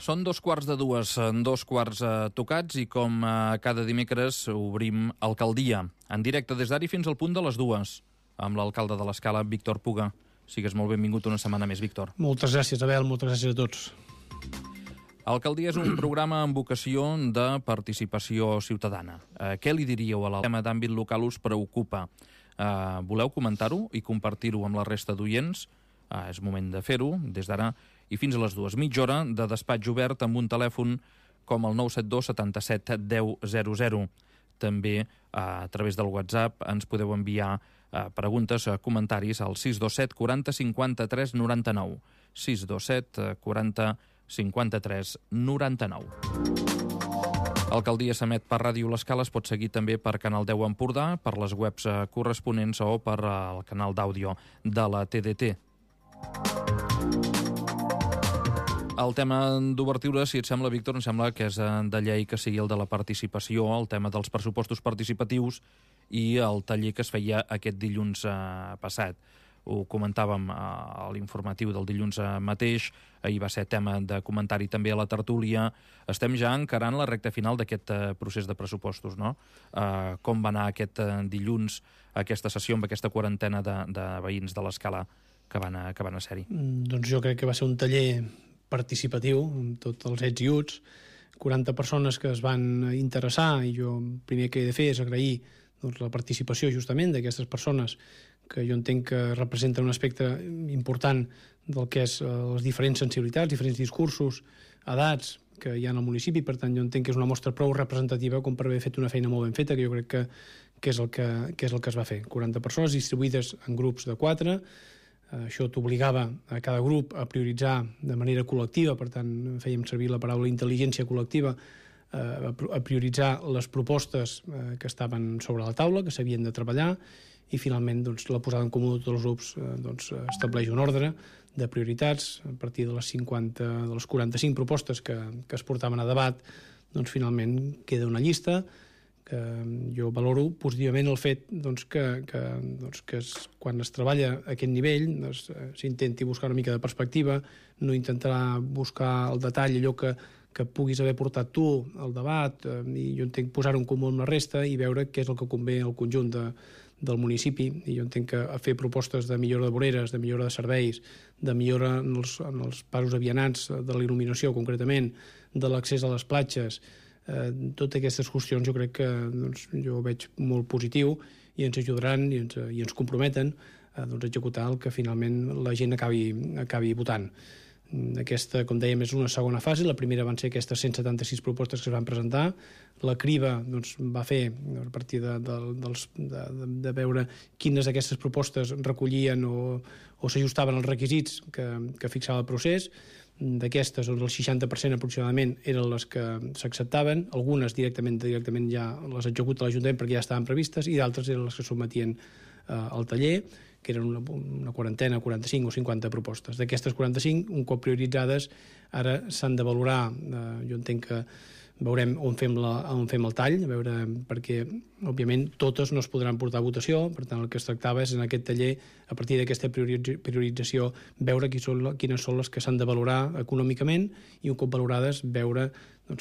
Són 2:15, 2 tocats, i com cada dimecres obrim Alcaldia, en directe des d'ara fins al punt de les 2, amb l'alcalde de l'Escala, Víctor Puga. Sigues molt benvingut una setmana més, Víctor. Moltes gràcies, Abel, moltes gràcies a tots. Alcaldia és un programa amb vocació de participació ciutadana. Què li diríeu a l'alcalde? El tema d'àmbit local us preocupa. Voleu comentar-ho i compartir-ho amb la resta d'oients? És moment de fer-ho, des d'ara i fins a les 2. Mitja hora de despatx obert amb un telèfon com el 972 77 10 00. També a través del WhatsApp ens podeu enviar preguntes, comentaris al 627 40 53 99. 627 40 53 99. Alcaldia s'emet per Ràdio L'Escala, es pot seguir també per Canal 10 Empordà, per les webs corresponents o per el canal d'àudio de la TDT. El tema d'obertura, si et sembla, Víctor, em sembla que és de llei que sigui el de la participació, el tema dels pressupostos participatius i el taller que es feia aquest dilluns passat. Ho comentàvem a l'informatiu del dilluns mateix, ahir va ser tema de comentari també a la tertúlia. Estem ja encarant la recta final d'aquest procés de pressupostos, no? Com va anar aquest dilluns, aquesta sessió amb aquesta quarantena de veïns de l'Escala que van a ser-hi? Doncs jo crec que va ser un taller participatiu, amb tots els ets i uts, 40 persones que es van interessar, i jo el primer que he de fer és agrair la participació justament d'aquestes persones que jo entenc que representen un aspecte important del que és les diferents sensibilitats, diferents discursos, edats que hi ha al municipi. Per tant, jo entenc que és una mostra prou representativa com per haver fet una feina molt ben feta, que jo crec que és el que es va fer. 40 persones distribuïdes en grups de 4. Això t'obligava a cada grup a prioritzar de manera col·lectiva, per tant fèiem servir la paraula intel·ligència col·lectiva, a prioritzar les propostes que estaven sobre la taula, que s'havien de treballar, i finalment la posada en comú de tots els grups estableix un ordre de prioritats. A partir de les 45 propostes que es portaven a debat, finalment queda una llista que jo valoro positivament el fet que quan es treballa a aquest nivell s'intenti buscar una mica de perspectiva, no intentar buscar el detall, allò que puguis haver portat tu al debat, i jo entenc posar-ho en comú amb la resta i veure què és el que convé al conjunt del municipi. I jo entenc que fer propostes de millora de voreres, de millora de serveis, de millora en els passos a vianants, de la il·luminació concretament, de l'accés a les platges, totes aquestes qüestions jo crec que jo ho veig molt positiu i ens ajudaran i ens comprometen a executar el que finalment la gent acabi votant. Aquesta, com dèiem, és una segona fase. La primera van ser aquestes 176 propostes que es van presentar. La criba va fer a partir de veure quines d'aquestes propostes recollien o s'ajustaven als requisits que fixava el procés. D'aquestes, el 60% aproximadament eren les que s'acceptaven. Algunes directament ja les executa l'Ajuntament perquè ja estaven previstes, i d'altres eren les que sotmetien al taller, que eren una quarantena, 45 o 50 propostes. D'aquestes 45, un cop prioritzades, ara s'han de valorar. Jo entenc que veurem on fem el tall, perquè, òbviament, totes no es podran portar a votació. Per tant, el que es tractava és, en aquest taller, a partir d'aquesta priorització, veure quines són les que s'han de valorar econòmicament, i un cop valorades, veure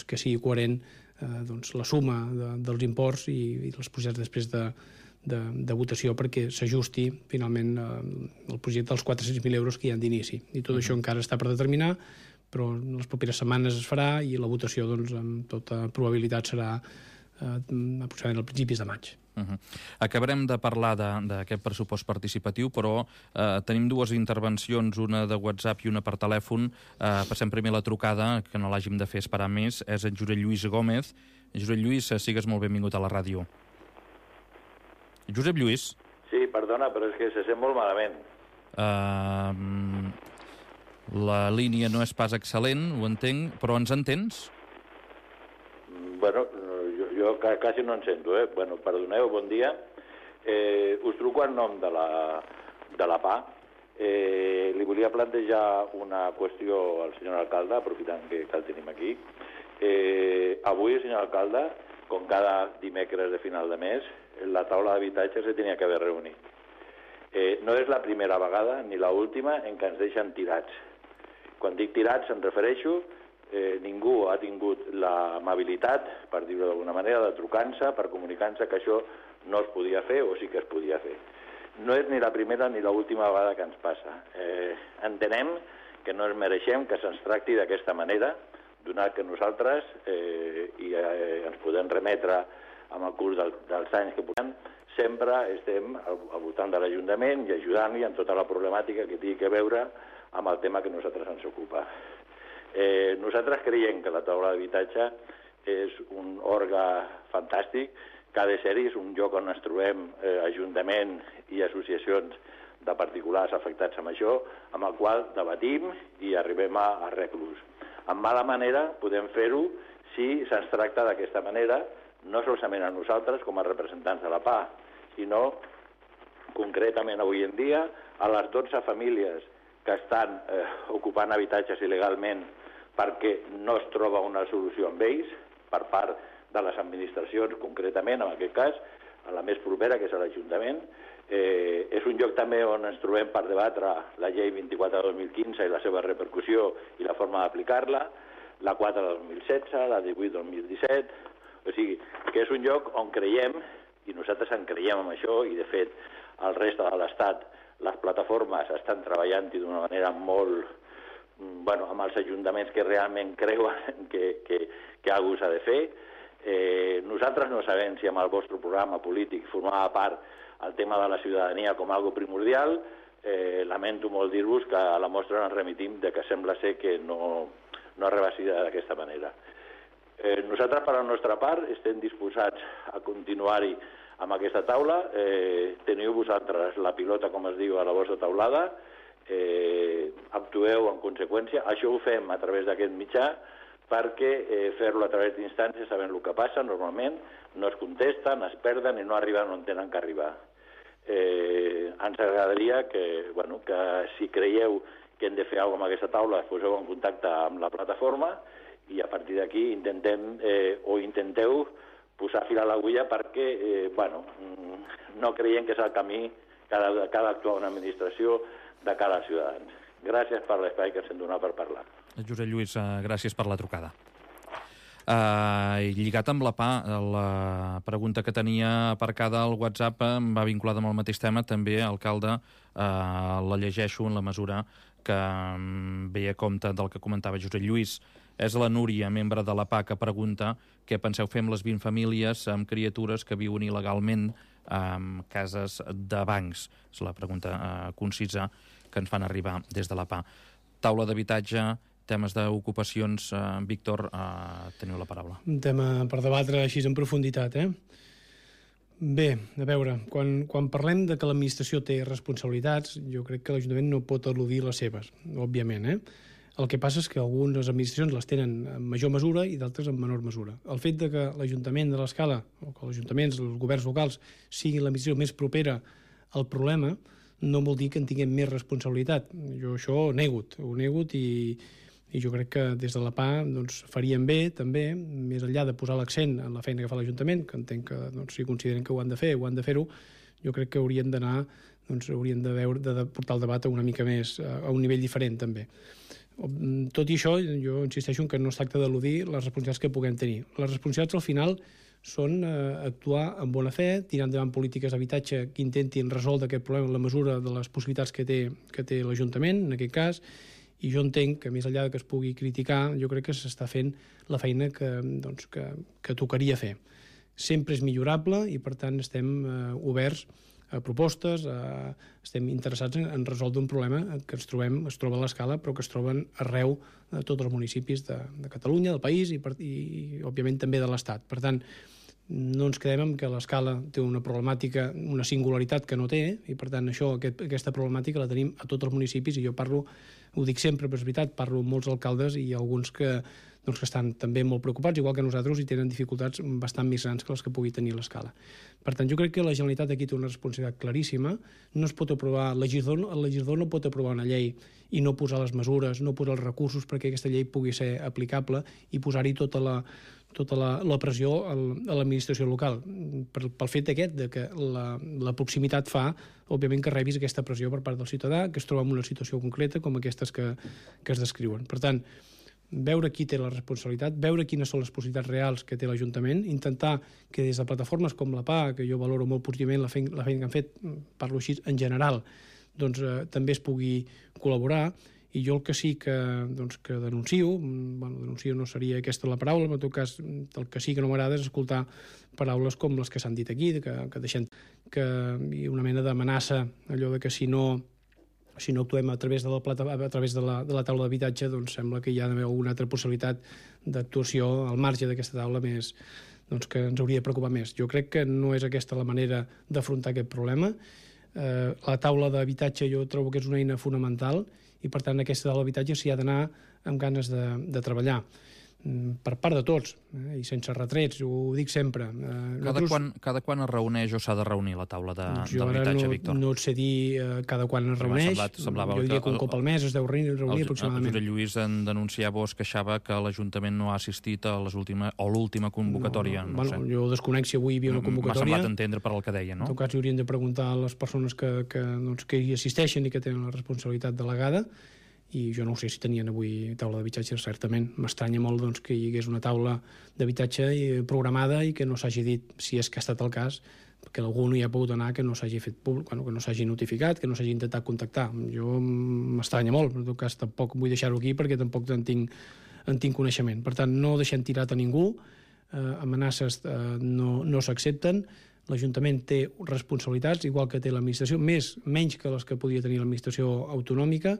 que sigui coherent la suma dels imports i els projectes després de votació, perquè s'ajusti finalment el projecte als 400.000 euros que hi ha d'inici. I tot això encara està per determinar, però en les properes setmanes es farà, i la votació amb tota probabilitat serà aproximadament als principis de maig. Acabarem de parlar d'aquest pressupost participatiu, però tenim dues intervencions, una de WhatsApp i una per telèfon. Passem primer la trucada, que no l'hàgim de fer esperar més. És en Josep Lluís Gómez. Josep Lluís, sigues molt benvingut a la ràdio. Josep Lluís? Sí, perdona, però és que se sent molt malament. La línia no és pas excel·lent, ho entenc, però ens entens? Bueno, jo quasi no en sento, Bueno, perdoneu, bon dia. Us truco en nom de la PA. Li volia plantejar una qüestió al senyor alcalde, aprofitant que el tenim aquí. Avui, senyor alcalde, com cada dimecres de final de mes, la taula d'habitatge se tenia que haver reunit. No és la primera vegada ni l'última en què ens deixen tirats. Quan dic tirats em refereixo ningú ha tingut l'amabilitat, per dir-ho d'alguna manera, de trucar-se, per comunicar-se que això no es podia fer o sí que es podia fer. No és ni la primera ni l'última vegada que ens passa. Entenem que no ens mereixem que se'ns tracti d'aquesta manera, donat que nosaltres ens podem remetre amb el curs dels anys que portem, sempre estem al voltant de l'Ajuntament i ajudant-li en tota la problemàtica que tingui que veure amb el tema que a nosaltres ens ocupa. Nosaltres creiem que la taula d'habitatge és un òrgan fantàstic, que ha de ser-hi, és un lloc on ens trobem Ajuntament i associacions de particulars afectats amb això, amb el qual debatim i arribem a arreglos. En mala manera podem fer-ho si se'ns tracta d'aquesta manera, no solament a nosaltres com a representants de la PA, sinó concretament avui en dia a les 12 famílies que estan ocupant habitatges il·legalment perquè no es troba una solució amb ells per part de les administracions, concretament, en aquest cas, a la més propera, que és l'Ajuntament. És un lloc també on ens trobem per debatre la llei 24 de 2015 i la seva repercussió i la forma d'aplicar-la, la 4 de 2016, la 18 de 2017... O sigui, que és un lloc on creiem, i nosaltres en creiem amb això, i de fet, al reste de l'Estat, les plataformes estan treballant-hi d'una manera molt... amb els ajuntaments que realment creuen que alguna cosa s'ha de fer. Nosaltres no sabem si amb el vostre programa polític formava part el tema de la ciutadania com algo primordial. Lamento molt dir-vos que a la mostra ens remitim de que sembla ser que no arriba a ser d'aquesta manera. Nosaltres, per la nostra part, estem disposats a continuar-hi amb aquesta taula. Teniu vosaltres la pilota, com es diu, a la vostra taulada. Actueu en conseqüència. Això ho fem a través d'aquest mitjà perquè fer-lo a través d'instàncies sabem el que passa normalment, no es contesten, es perden i no arriben on tenen que arribar. Ens agradaria que si creieu que hem de fer alguna cosa amb aquesta taula, poseu en contacte amb la plataforma i a partir d'aquí intenteu posar fil a l'agulla perquè no creiem que és el camí que ha d'actuar una administració de cara als ciutadans. Gràcies per l'espai que ens hem donat per parlar. Josep Lluís, gràcies per la trucada. Lligat amb la PA, la pregunta que tenia aparcada al WhatsApp va vinculada amb el mateix tema, també, alcalde, la llegeixo en la mesura que veia compte del que comentava Josep Lluís. És la Núria, membre de la PA, que pregunta què penseu fer amb les 20 famílies amb criatures que viuen il·legalment en cases de bancs. És la pregunta concisa que ens fan arribar des de la PA. Taula d'habitatge, temes d'ocupacions. Víctor, teniu la paraula. Un tema per debatre així en profunditat, Bé, a veure, quan parlem de que l'administració té responsabilitats, jo crec que l'Ajuntament no pot eludir les seves, òbviament, El que passa és que algunes administracions les tenen en major mesura i d'altres en menor mesura. El fet de que l'Ajuntament de l'Escala, o que els ajuntaments, els governs locals, siguin l'administració més propera al problema, no vol dir que en tinguem més responsabilitat. Jo això ho nego i jo crec que des de la PA farien bé, també, més enllà de posar l'accent en la feina que fa l'Ajuntament, que entenc que si consideren que ho han de fer, jo crec que haurien d'anar, haurien de portar el debat una mica més, a un nivell diferent, també. Tot i això, jo insisteixo en que no es tracta d'eludir les responsabilitats que puguem tenir. Les responsabilitats, al final, són actuar amb bona fe, tirar endavant polítiques d'habitatge que intentin resoldre aquest problema en la mesura de les possibilitats que té l'Ajuntament, en aquest cas, i jo entenc que, més enllà que es pugui criticar, jo crec que s'està fent la feina que tocaria fer. Sempre és millorable i, per tant, estem oberts a propostes, estem interessats en resoldre un problema que es troba a l'Escala, però que es troben arreu de tots els municipis de Catalunya, del país i òbviament, també de l'Estat. Per tant, no ens quedem amb que l'Escala té una problemàtica, una singularitat que no té, i per tant aquesta problemàtica la tenim a tots els municipis, i jo ho dic sempre, però és veritat, parlo amb molts alcaldes i alguns que estan també molt preocupats, igual que nosaltres, i tenen dificultats bastant més grans que les que pugui tenir l'Escala. Per tant, jo crec que la Generalitat aquí té una responsabilitat claríssima. No es pot aprovar, el legislador no pot aprovar una llei i no posar les mesures, no posar els recursos perquè aquesta llei pugui ser aplicable i posar-hi tota la pressió a l'administració local. Pel fet aquest de que la proximitat fa, òbviament, que rebis aquesta pressió per part del ciutadà, que es troba en una situació concreta com aquestes que es descriuen. Per tant, veure qui té la responsabilitat, veure quines són les possibilitats reals que té l'Ajuntament, intentar que des de plataformes com la PA, que jo valoro molt positivament la feina que han fet, parlo així en general, doncs també es pugui col·laborar. I jo el que sí que denuncio, denuncio no seria aquesta la paraula, però en tot cas el que sí que no m'agrada és escoltar paraules com les que s'han dit aquí, que deixen hi ha una mena d'amenaça, allò de que si no actuem a través de la taula d'habitatge, doncs sembla que hi ha d'haver alguna altra possibilitat d'actuació al marge d'aquesta taula més, doncs que ens hauria de preocupar més. Jo crec que no és aquesta la manera d'afrontar aquest problema. La taula d'habitatge jo trobo que és una eina fonamental i, per tant, aquesta taula d'habitatge s'hi ha d'anar amb ganes de treballar. Per part de tots, i sense retrets, ho dic sempre. Cada quan es reuneix o s'ha de reunir la taula d'habitatge, Víctor? No et sé dir cada quan es reuneix. Semblava jo diria que un cop al mes es deu reunir aproximadament. El Josep Lluís en denunciava o es queixava que l'Ajuntament no ha assistit a l'última convocatòria. Jo desconec si avui hi havia una convocatòria. M'ha semblat entendre per el que deia, no? En tot cas, haurien de preguntar a les persones que hi assisteixen i que tenen la responsabilitat delegada, i jo no sé si tenien avui taula d'habitatge, certament. M'estranya molt que hi hagués una taula d'habitatge programada i que no s'hagi dit, si és que ha estat el cas, que algú no hi ha pogut anar, que no s'hagi fet públic, que no s'hagi notificat, que no s'hagi intentat contactar. Jo m'estranya molt, en tot cas tampoc vull deixar-ho aquí perquè tampoc en tinc coneixement. Per tant, no deixem tirat a ningú, amenaces no s'accepten, l'Ajuntament té responsabilitats, igual que té l'administració, menys que les que podia tenir l'administració autonòmica,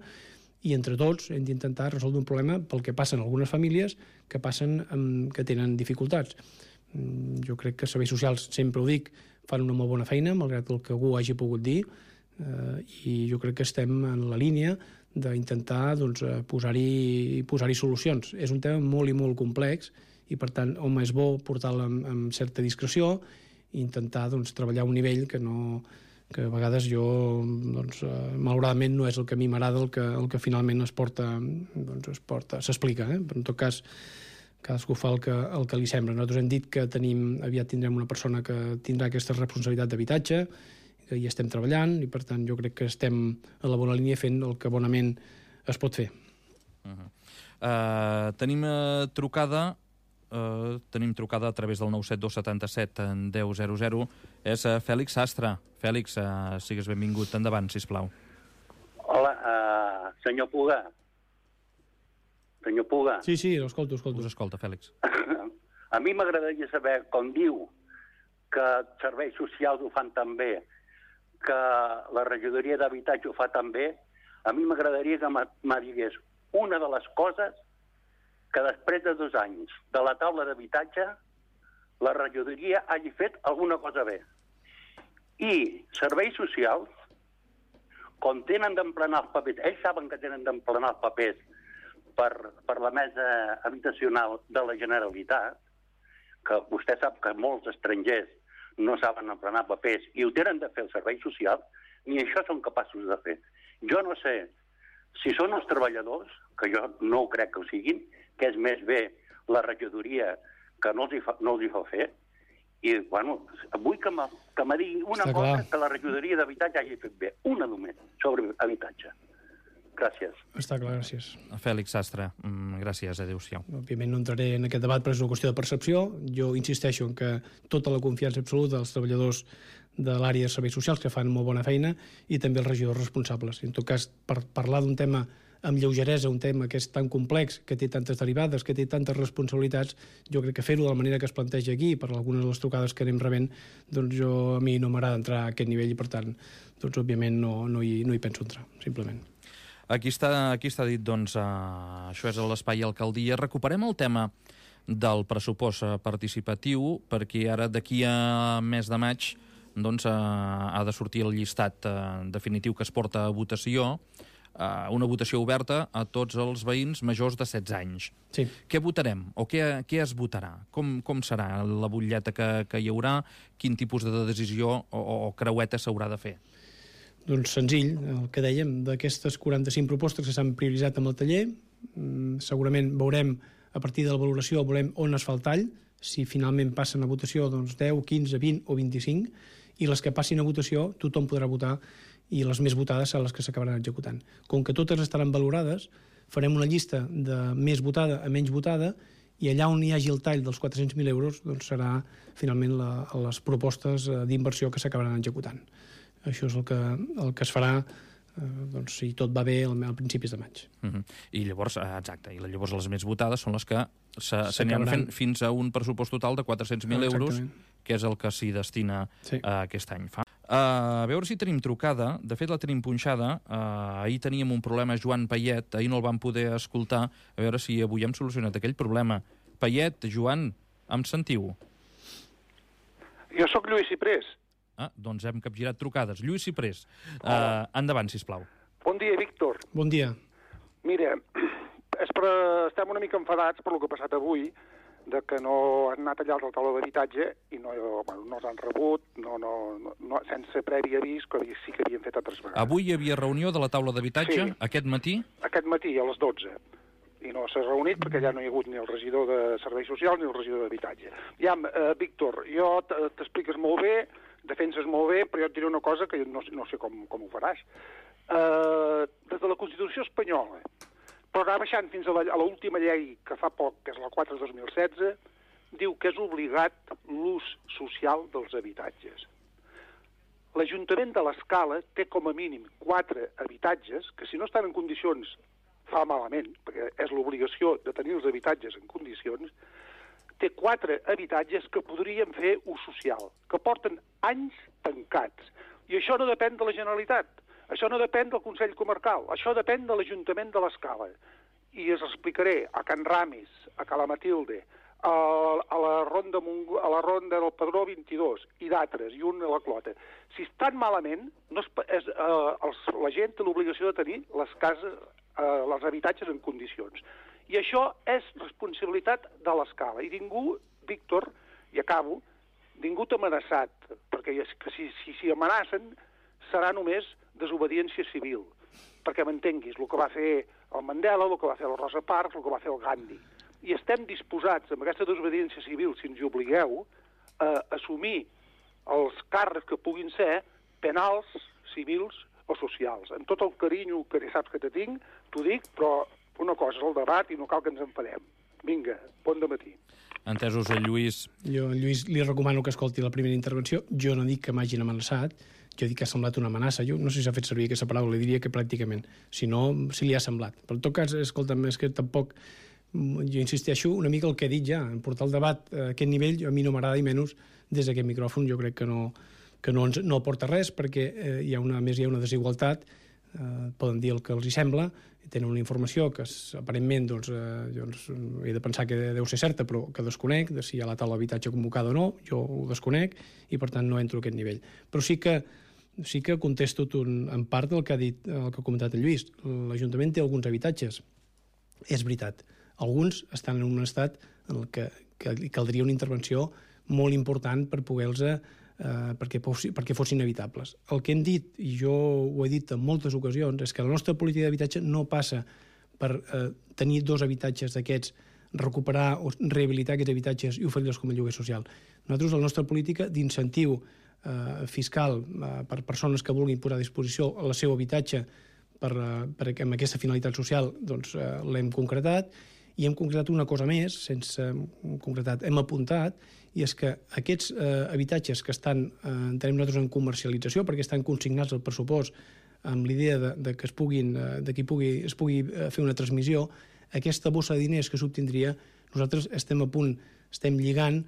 i entre tots hem d'intentar resoldre un problema pel que passa en algunes famílies que tenen dificultats. Jo crec que serveis socials, sempre ho dic, fan una molt bona feina, malgrat el que algú hagi pogut dir, i jo crec que estem en la línia d'intentar posar-hi solucions. És un tema molt i molt complex i, per tant, home, és bo portar-lo amb certa discreció i intentar treballar a un nivell que a vegades jo, malauradament, no és el que a mi m'agrada, el que finalment s'explica. Però en tot cas, cadascú fa el que li sembla. Nosaltres hem dit que aviat tindrem una persona que tindrà aquesta responsabilitat d'habitatge, que hi estem treballant, i per tant jo crec que estem a la bona línia fent el que bonament es pot fer. Tenim trucada a través del 972 77 1000. És Fèlix Sastre. Fèlix, sigues benvingut. Endavant, sisplau. Hola, senyor Puga. Senyor Puga. Sí, l'escolto. Us escolta, Fèlix. A mi m'agradaria saber, com diu, que serveis socials ho fan tan bé, que la regidoria d'habitatge ho fa tan bé, a mi m'agradaria que me digués una de les coses que després de 2 anys de la taula d'habitatge la regidoria hagi fet alguna cosa bé. I serveis socials, quan tenen d'emplenar els papers, ells saben que tenen d'emplenar els papers per la mesa habitacional de la Generalitat, que vostè sap que molts estrangers no saben emplenar papers i ho tenen de fer els serveis socials, ni això són capaços de fer. Jo no sé si són els treballadors, que jo no crec que ho siguin, que és més bé la regidoria que no els hi fa fer, i, bueno, vull que me digui una cosa que la regidoria d'habitatge hagi fet bé, una només, sobre habitatge. Gràcies. Està clar, gràcies. Fèlix Sastre, gràcies, adéu-siau. Òbviament no entraré en aquest debat, però és una qüestió de percepció. Jo insisteixo en que tota la confiança absoluta dels treballadors de l'àrea de serveis socials, que fan molt bona feina, i també els regidors responsables. En tot cas, per parlar d'un tema amb lleugeresa, un tema que és tan complex, que té tantes derivades, que té tantes responsabilitats, jo crec que fer-ho de la manera que es planteja aquí, per algunes de les trucades que anem rebent, doncs a mi no m'agrada entrar a aquest nivell i, per tant, doncs, òbviament no hi penso entrar, simplement. Aquí està dit, doncs, això és l'Espai Alcaldia. Recuperem el tema del pressupost participatiu, perquè ara d'aquí a mes de maig doncs, ha de sortir el llistat definitiu que es porta a votació, una votació oberta a tots els veïns majors de 16 anys. Sí. Què votarem? O què es votarà? Com serà la butlleta que hi haurà? Quin tipus de decisió o creueta s'haurà de fer? Doncs senzill, el que dèiem, d'aquestes 45 propostes que s'han prioritzat amb el taller, segurament veurem, a partir de la valoració, veurem on es fa el tall, si finalment passen a votació doncs 10, 15, 20 o 25, i les que passin a votació tothom podrà votar, i les més votades seran les que s'acabaran executant. Com que totes estaran valorades, farem una llista de més votada a menys votada, i allà on hi hagi el tall dels 400.000 euros doncs serà finalment les propostes d'inversió que s'acabaran executant. Això és el que es farà doncs, si tot va bé a principis de maig. I llavors, exacte, i llavors les més votades són les que s'aniran fent fins a un pressupost total de 400.000 euros, que és el que s'hi destina aquest any. A veure si tenim trucada. De fet, la tenim punxada. Ahir teníem un problema, Joan Payet. Ahir no el vam poder escoltar. A veure si avui hem solucionat aquell problema. Payet, Joan, em sentiu? Jo sóc Lluís Ciprés. Doncs hem capgirat trucades. Lluís Ciprés, endavant, sisplau. Bon dia, Víctor. Bon dia. Mira, estem una mica enfadats per lo que ha passat avui, de que no han anat allà a la taula d'habitatge i no s'han rebut, sense previ avís, que sí que havien fet altres vegades. Avui hi havia reunió de la taula d'habitatge, aquest matí? Aquest matí, a les 12. I no s'ha reunit perquè ja no hi ha hagut ni el regidor de Serveis Socials ni el regidor d'Habitatge. Víctor, jo t'expliques molt bé, defenses molt bé, però jo et diré una cosa que no sé com ho faràs. Des de la Constitució espanyola, però anar baixant fins a l'última llei que fa poc, que és la 4/2016, diu que és obligat l'ús social dels habitatges. L'Ajuntament de l'Escala té com a mínim 4 habitatges que si no estan en condicions fa malament, perquè és l'obligació de tenir els habitatges en condicions, té 4 habitatges que podrien fer ús social, que porten anys tancats. I això no depèn de la Generalitat. Això no depèn del Consell Comarcal, això depèn de l'Ajuntament de l'Escala. I us explicaré a Can Ramis, a Cala Matilde, a la ronda del Padró 22 i d'altres, i un a la Clota. Si estan malament, la gent té l'obligació de tenir les cases, els habitatges en condicions. I això és responsabilitat de l'Escala. I ningú, Víctor, i acabo, ningú t'ha amenaçat, perquè si amenacen serà només desobediència civil, perquè m'entenguis, el que va fer el Mandela, el que va fer el Rosa Parks, el que va fer el Gandhi. I estem disposats, amb aquesta desobediència civil, si ens hi obligueu, a assumir els càrrecs que puguin ser penals, civils o socials. Amb tot el carinyo que saps que te tinc, t'ho dic, però una cosa és el debat i no cal que ens enfadem. Vinga, bon dematí. Entesos, Lluís. Jo, Lluís, li recomano que escolti la primera intervenció. Jo no dic que m'hagin amenaçat, jo dic que ha semblat una amenaça. Jo no sé si s'ha fet servir aquesta paraula, li diria que pràcticament. Si no, si li ha semblat. Però en tot cas, escolta'm, és que tampoc... Jo insisteixo una mica el que he dit ja. Portar el debat a aquest nivell a mi no m'agrada, i menys des d'aquest micròfon. Jo crec que no aporta res, perquè hi ha una desigualtat. Poden dir el que els hi sembla, tenen una informació que aparentment jo he de pensar que deu ser certa, però que desconec, de si hi ha la taula d'habitatge convocada o no, jo ho desconec i per tant no entro a aquest nivell. Però sí que contesto en part el que ha dit, el que ha comentat el Lluís. L'Ajuntament té alguns habitatges, és veritat. Alguns estan en un estat en què caldria una intervenció molt important per poder-los perquè fossin evitables. El que hem dit, i jo ho he dit en moltes ocasions, és que la nostra política d'habitatge no passa per tenir 2 habitatges d'aquests, recuperar o rehabilitar aquests habitatges i oferir-los com a lloguer social. Nosaltres, la nostra política d'incentiu fiscal per persones que vulguin posar a disposició el seu habitatge amb aquesta finalitat social, doncs l'hem concretat, i hem concretat una cosa més, hem apuntat, i és que aquests habitatges que estan, entenem nosaltres, en comercialització, perquè estan consignats al pressupost amb l'idea de que es pugui fer una transmissió, aquesta bossa de diners que s'obtindria, nosaltres estem lligant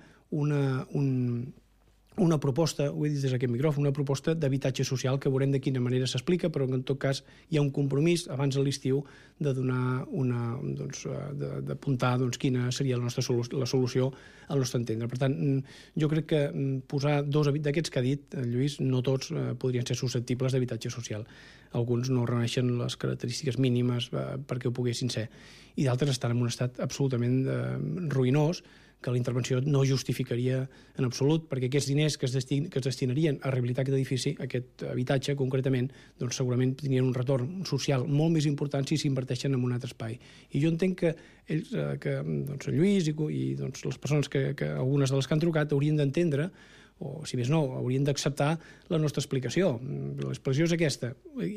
una proposta, ho he dit des d'aquest micròfon, una proposta d'habitatge social que veurem de quina manera s'explica, però que en tot cas hi ha un compromís abans de l'estiu de donar d'apuntar quina seria la solució al nostre entendre. Per tant, jo crec que posar 2 d'aquests que ha dit Lluís, no tots podrien ser susceptibles d'habitatge social. Alguns no reuneixen les característiques mínimes perquè ho poguessin ser, i d'altres estan en un estat absolutament ruïnós, que la intervenció no justificaria en absolut, perquè aquests diners que es destinarien a rehabilitar aquest edifici, aquest habitatge concretament, doncs segurament tindrien un retorn social molt més important si s'inverteixen en un altre espai. I jo entenc que el Lluís i les persones algunes de les que han trucat, haurien d'entendre o si més no, haurien d'acceptar la nostra explicació. L'explicació és aquesta.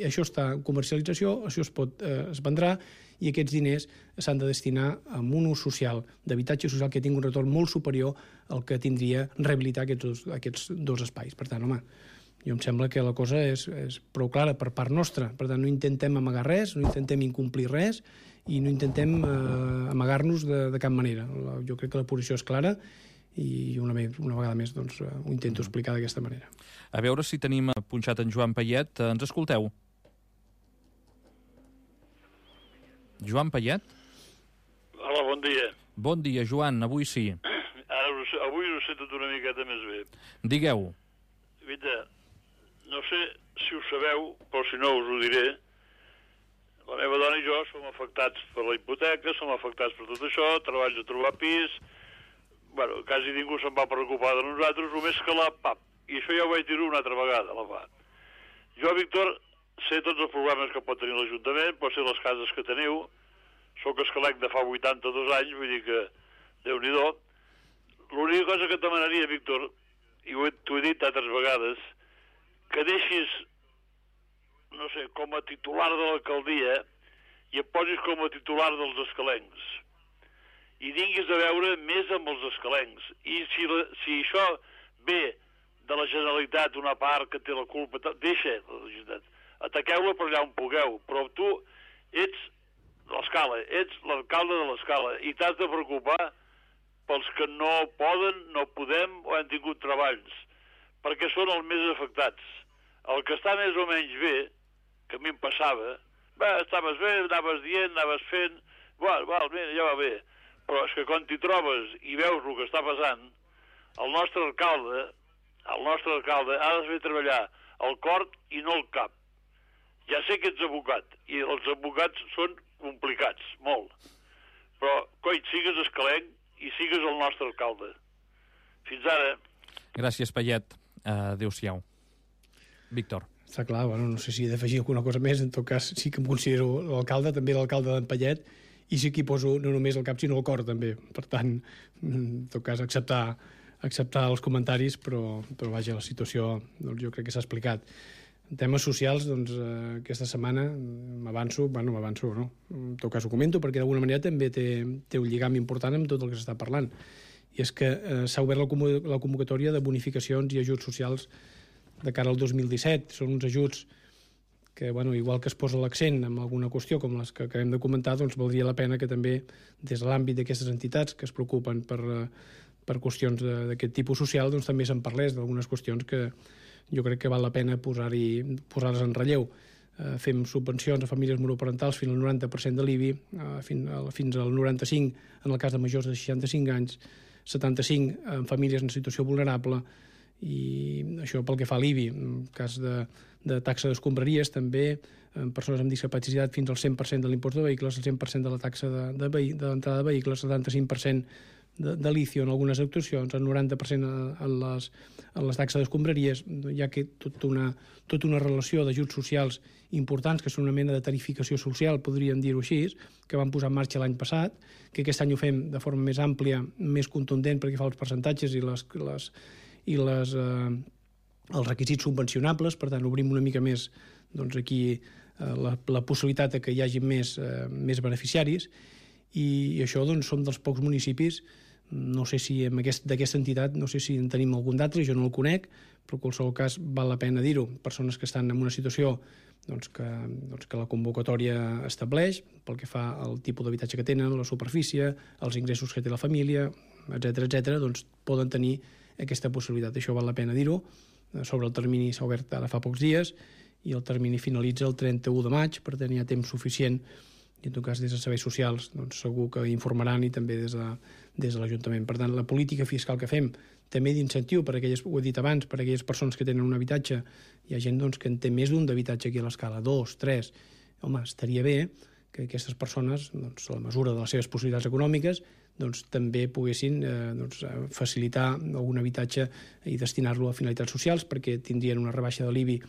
Això està en comercialització, això es vendrà, i aquests diners s'han de destinar a un ús social, d'habitatge social, que tingui un retorn molt superior al que tindria rehabilitar aquests dos espais. Per tant, home, jo em sembla que la cosa és prou clara per part nostra. Per tant, no intentem amagar res, no intentem incomplir res i no intentem amagar-nos de cap manera. Jo crec que la posició és clara i una vegada més doncs, ho intento explicar d'aquesta manera. A veure si tenim punxat en Joan Payet. Ens escolteu? Joan Payet? Hola, bon dia. Bon dia, Joan, avui sí. Avui ho sé tot una miqueta més bé. Digueu. Vita, no sé si ho sabeu, però si no us ho diré. La meva dona i jo som afectats per la hipoteca, som afectats per tot això, treballs a trobar pis. Bueno, quasi ningú se'n va preocupar de nosaltres, només que la PAP. I això ja ho vaig dir una altra vegada, la PAP. Jo, Víctor, sé tots els problemes que pot tenir l'Ajuntament, pot ser les cases que teniu. Soc escalec de fa 82 anys, vull dir que Déu-n'hi-do. L'única cosa que et demanaria, Víctor, i t'ho he dit altres vegades, que deixis, no sé, com a titular de l'alcaldia i et posis com a titular dels escalencs. I tinguis a veure més amb els escalencs. I si això ve de la Generalitat, una part que té la culpa, deixa la Generalitat. Ataqueu-la per allà on pugueu, però tu ets l'Escala, ets l'alcalde de l'Escala i t'has de preocupar pels que no poden, no podem o han tingut treballs, perquè són els més afectats. El que està més o menys bé, que a mi em passava, estaves bé, anaves dient, anaves fent, val, mira, ja va bé. Però és que quan t'hi trobes i veus el que està passant, el nostre alcalde ha de fer treballar el cor i no el cap. Ja sé que ets advocat, i els advocats són complicats, molt. Però, coi, sigues escalenc i sigues el nostre alcalde. Fins ara. Gràcies, Payet. Adéu-siau. Víctor. Està clar, bueno, no sé si he d'afegir alguna cosa més. En tot cas, sí que em considero l'alcalde, també l'alcalde d'en Payet, i sí que hi poso no només el cap, sinó el cor, també. Per tant, en tot cas, acceptar els comentaris, però vaja, la situació doncs, jo crec que s'ha explicat. En temes socials, doncs, aquesta setmana m'avanço, no? En tot cas ho comento, perquè d'alguna manera també té un lligam important amb tot el que s'està parlant. I és que s'ha obert la convocatòria de bonificacions i ajuts socials de cara al 2017. Són uns ajuts que, bueno, igual que es posa l'accent en alguna qüestió com les que acabem de comentar, doncs valdria la pena que també, des de l'àmbit d'aquestes entitats que es preocupen per qüestions d'aquest tipus social, doncs també se'n parlés d'algunes qüestions que jo crec que val la pena posar-les en relleu. Fem subvencions a famílies monoparentals fins al 90% de l'IBI, fins al 95% en el cas de majors de 65 anys, 75% en famílies en situació vulnerable, i això pel que fa a l'IBI. En cas de taxa d'escombraries, també en persones amb discapacitat fins al 100% de l'impost de vehicles, el 100% de la taxa d'entrada de vehicles, el 75% de licio en algunes actuacions, el 90% en les taxes d'escombraries. Hi ha tota una relació d'ajuts socials importants, que són una mena de tarificació social, podríem dir-ho així, que vam posar en marxa l'any passat, que aquest any ho fem de forma més àmplia, més contundent, perquè fa els percentatges i els requisits subvencionables. Per tant, obrim una mica més doncs, aquí la possibilitat que hi hagi més beneficiaris, i això doncs, som dels pocs municipis, no sé si d'aquesta entitat, no sé si en tenim algun d'altre, jo no el conec, però en qualsevol cas val la pena dir-ho. Persones que estan en una situació doncs, que la convocatòria estableix, pel que fa al tipus d'habitatge que tenen, la superfície, els ingressos que té la família, etc., doncs poden tenir aquesta possibilitat. Això val la pena dir-ho. Sobre el termini s'ha obert ara fa pocs dies i el termini finalitza el 31 de maig, per tant hi ha temps suficient, i en tot cas des de serveis socials doncs, segur que informaran, i també des de l'Ajuntament. Per tant, la política fiscal que fem també d'incentiu per aquelles, ho he dit abans, per aquelles persones que tenen un habitatge. Hi ha gent doncs, que en té més d'un d'habitatge aquí a l'Escala, 2, 3. Home, estaria bé que aquestes persones, doncs, a la mesura de les seves possibilitats econòmiques, doncs, també poguessin facilitar algun habitatge i destinar-lo a finalitats socials, perquè tindrien una rebaixa de l'IBI,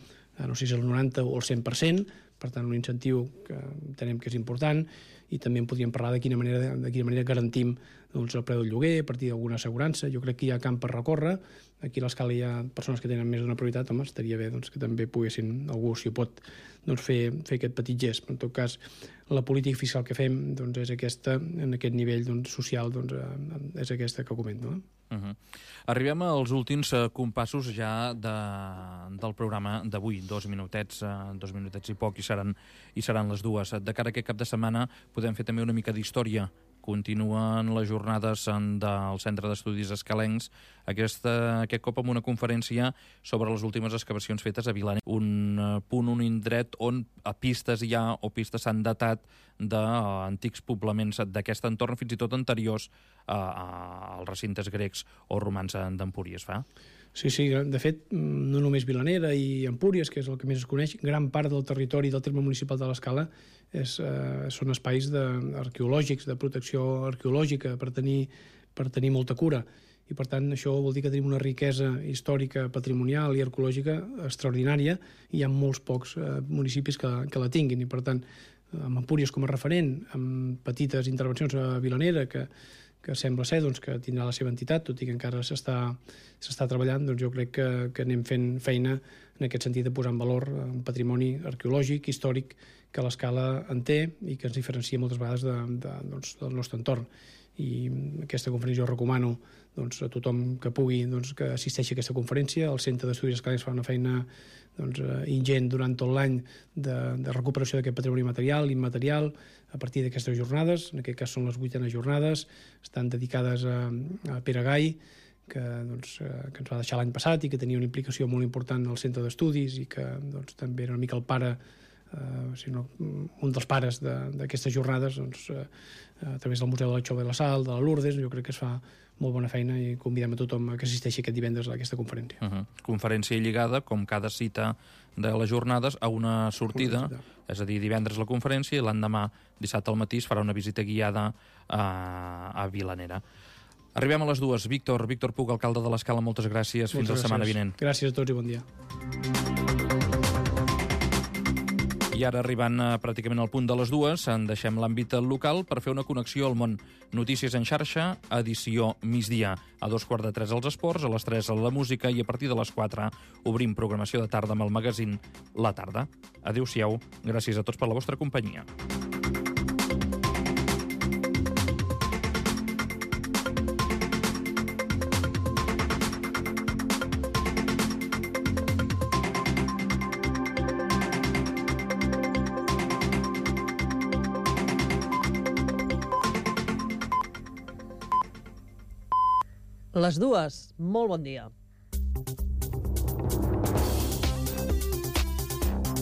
no sé si és el 90 o el 100%, Per tant, un incentiu que entenem que és important, i també en podríem parlar de quina manera garantim doncs, el preu del lloguer a partir d'alguna assegurança. Jo crec que hi ha camp per recórrer. Aquí a l'escala hi ha persones que tenen més d'una prioritat. Home, estaria bé doncs, que també poguessin, algú si ho pot, doncs, fer aquest petit gest. Però en tot cas, la política fiscal que fem doncs, és aquesta, en aquest nivell doncs, social, doncs, és aquesta que comento. Arribem als últims compassos ja del programa d'avui. 2 minutets i poc, i seran les 2. De cara a aquest cap de setmana podem fer també una mica d'història. Continuen les jornades del Centre d'Estudis Escalencs, aquest cop amb una conferència sobre les últimes excavacions fetes a Vilanera. Un indret on pistes hi ha o pistes s'han datat d'antics poblaments d'aquest entorn, fins i tot anteriors als recintes grecs o romans d'Empúries, fa? Sí, de fet, no només Vilanera i Empúries, que és el que més es coneix, gran part del territori del terme municipal de l'Escala són espais arqueològics, de protecció arqueològica, per tenir molta cura. I, per tant, això vol dir que tenim una riquesa històrica, patrimonial i arqueològica extraordinària, i hi ha molts pocs municipis que la tinguin. I, per tant, amb Empúries com a referent, amb petites intervencions a Vilanera, que sembla ser doncs, que tindrà la seva entitat, tot i que encara s'està treballant, doncs jo crec que anem fent feina en aquest sentit de posar en valor un patrimoni arqueològic, històric, que l'Escala en té i que ens diferencia moltes vegades del nostre entorn. I aquesta conferència jo recomano a tothom que pugui que assisteixi a aquesta conferència. El Centre d'Estudis Escalencs fa una feina ingent durant tot l'any de recuperació d'aquest patrimoni material i immaterial a partir d'aquestes jornades. En aquest cas són les 8enes jornades, estan dedicades a Pere Gai, que ens va deixar l'any passat i que tenia una implicació molt important al Centre d'Estudis i que també era una mica el pare, un dels pares d'aquestes jornades, a través del Museu de la Xova de la Sal, de la Lourdes. Jo crec que es fa molt bona feina i convidem a tothom que assisteixi aquest divendres a aquesta conferència. Conferència lligada, com cada cita de les jornades, a una sortida, és a dir, divendres la conferència i l'endemà, dissabte al matí, es farà una visita guiada a Vilanera. Arribem a les 2. Víctor Puig, alcalde de l'Escala, moltes gràcies. Fins la setmana vinent. Gràcies a tots i bon dia. I ara, arribant pràcticament al punt de les 2, en deixem l'àmbit local per fer una connexió al món. Notícies en xarxa, edició migdia. A 2:45 els esports, a les 3 la música i a partir de les 4 obrim programació de tarda amb el magazín La Tarda. Adéu-siau, gràcies a tots per la vostra companyia. Les 2, molt bon dia.